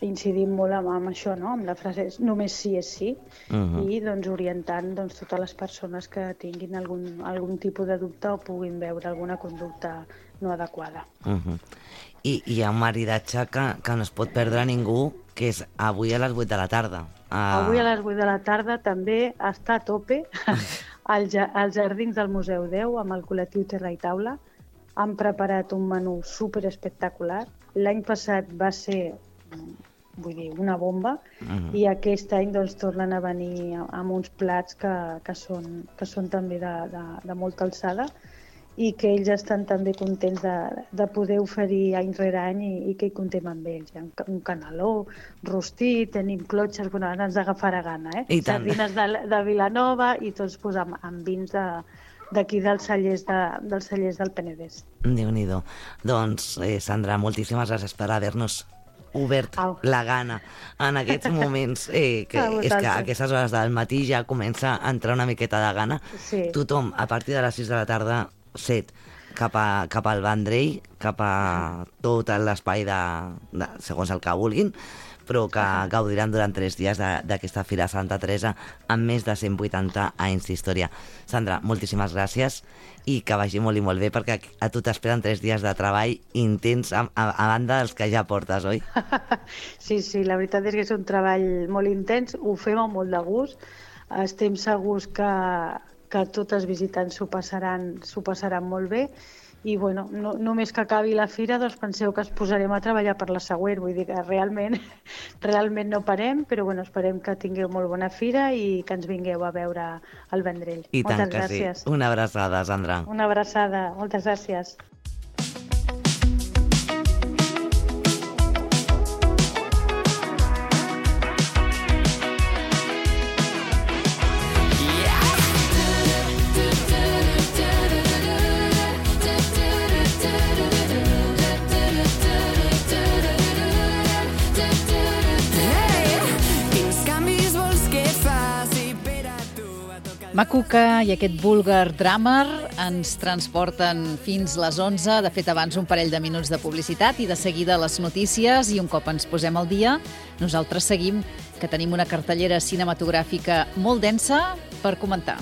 incidim molt amb això, no? Amb la frase només sí és sí, i orientant totes les persones que tinguin algun tipus de dubte o puguin veure alguna conducta no adequada. I hi ha un maridatge que no es pot perdre ningú, que és avui a les 8 de la tarda. Avui a les 8 de la tarda també està a tope als jardins del Museu 10 amb el col·lectiu Terra i Taula. Han preparat un menú superespectacular. L'any passat va ser, una bomba, i aquest any tornen a venir amb uns plats que són també de molta alçada i que ells estan també contents de poder oferir any rere any i que hi comptem amb ells. Hi ha un caneló, rostit, tenim clotxes, bueno, ara ens agafarà gana, I tant. Sardines de Vilanova i tots amb vins d'aquí dels cellers del Penedès. Déu-n'hi-do. Doncs, Sandra, moltíssimes gràcies per haver-nos obert la gana en aquests moments, que és que a aquestes hores del matí ja comença a entrar una miqueta de gana. Sí. Tothom, a partir de les 6 de la tarda, set cap al Vendrell, cap a tot l'espai segons el que vulguin, però que gaudiran durant 3 dies d'aquesta Fira Santa Teresa amb més de 180 anys d'història. Sandra, moltíssimes gràcies i que vagi molt i molt bé, perquè a tu t'esperen 3 dies de treball intens a banda dels que ja portes, oi? Sí, la veritat és que és un treball molt intens, ho fem amb molt de gust, estem segurs que tots els visitants s'ho passaran molt bé i bueno, només que acabi la fira doncs penseu que ens posarem a treballar per la següent, vull dir que realment no parem, però bueno, esperem que tingueu molt bona fira i que ens vingueu a veure el Vendrell. I tant Moltes que gràcies. sí. Una abraçada, Sandra. Una abraçada, moltes gràcies. Macuca i aquest búlgar drummer ens transporten fins les 11. De fet, abans un parell de minuts de publicitat i de seguida les notícies. I un cop ens posem al dia, nosaltres seguim, que tenim una cartellera cinematogràfica molt densa per comentar.